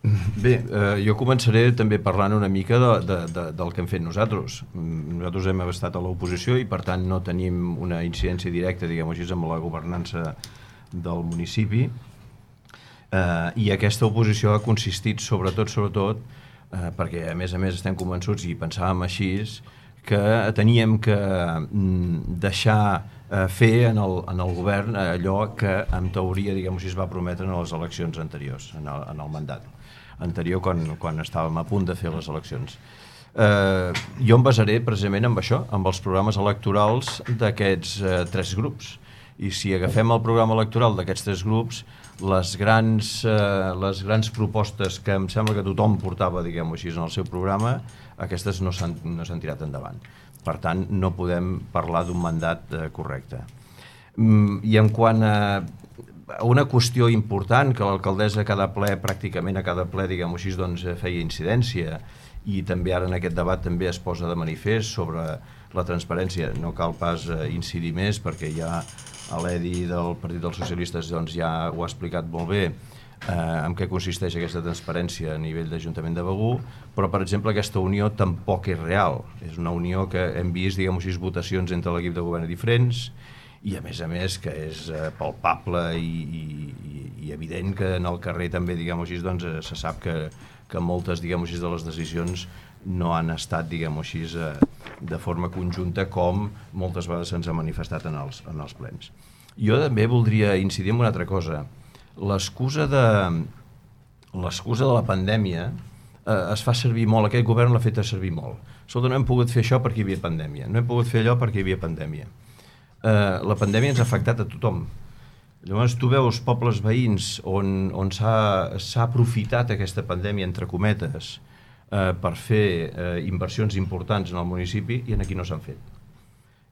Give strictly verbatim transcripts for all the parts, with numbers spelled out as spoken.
Bé, eh, jo començaré també parlant una mica de, de, de, del que hem fet nosaltres. Nosaltres hem estat a l'oposició i per tant no tenim una incidència directa, diguem-ho així, amb la governança del municipi, eh, i aquesta oposició ha consistit sobretot, sobretot, eh, perquè a més a més estem convençuts i pensàvem així, que teníem que mm, deixar eh, fer en el, en el govern allò que en teoria, diguem-ho així, es va prometre en les eleccions anteriors, en el, en el mandat anterior, quan, quan estàvem a punt de fer les eleccions. Eh, jo em basaré precisament amb això, amb els programes electorals d'aquests eh, tres grups. I si agafem el programa electoral d'aquests tres grups, les grans, eh, les grans propostes que em sembla que tothom portava, diguem-ho així, en el seu programa, aquestes no s'han no s'han tirat endavant. Per tant, no podem parlar d'un mandat eh, correcte. Mm, I en quant a una qüestió important que l'alcaldessa a cada ple, pràcticament a cada ple, diguem-ho així, doncs, feia incidència, i també ara en aquest debat també es posa de manifest sobre la transparència. No cal pas eh, incidir més perquè ja l'Edi del Partit dels Socialistes doncs, ja ho ha explicat molt bé eh, en què consisteix aquesta transparència a nivell d'Ajuntament de Begur, però per exemple aquesta unió tampoc és real. És una unió que hem vist, diguem-ho així, votacions entre l'equip de govern diferents, i a més a més que és eh, palpable i, i, i evident que en el carrer també, diguem-ho així, doncs, eh, se sap que, que moltes, diguem-ho així, de les decisions no han estat, diguem-ho així, eh, de forma conjunta com moltes vegades se'ns ha manifestat en els, en els plens. Jo també voldria incidir en una altra cosa. L'excusa de, l'excusa de la pandèmia eh, es fa servir molt, aquest govern l'ha fet servir molt. Escolta, no hem pogut fer això perquè hi havia pandèmia, no hem pogut fer allò perquè hi havia pandèmia. Uh, la pandèmia ens ha afectat a tothom. Llavors tu veus pobles veïns on, on s'ha aprofitat aquesta pandèmia, entre cometes, uh, per fer uh, inversions importants en el municipi, i aquí no s'han fet.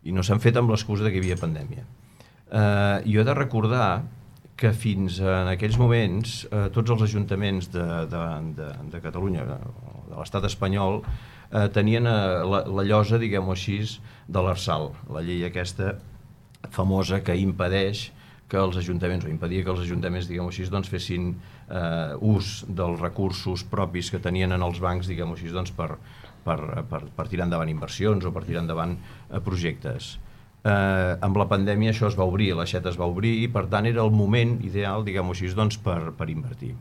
I no s'han fet amb l'excusa que hi havia pandèmia. Uh, jo he de recordar que fins en aquells moments uh, tots els ajuntaments de, de, de, de Catalunya, de l'estat espanyol, uh, tenien uh, la, la llosa, diguem-ho així, de l'Arsal, la llei aquesta famosa que impedeix que els ajuntaments, o impedia que els ajuntaments, diguem-ho així, doncs, fessin eh, ús dels recursos propis que tenien en els bancs, diguem-ho així, doncs, per, per, per, per tirar endavant inversions o per tirar endavant eh, projectes. Eh, amb la pandèmia això es va obrir, l'aixeta es va obrir, i per tant era el moment ideal, diguem-ho així, doncs, per, per invertir.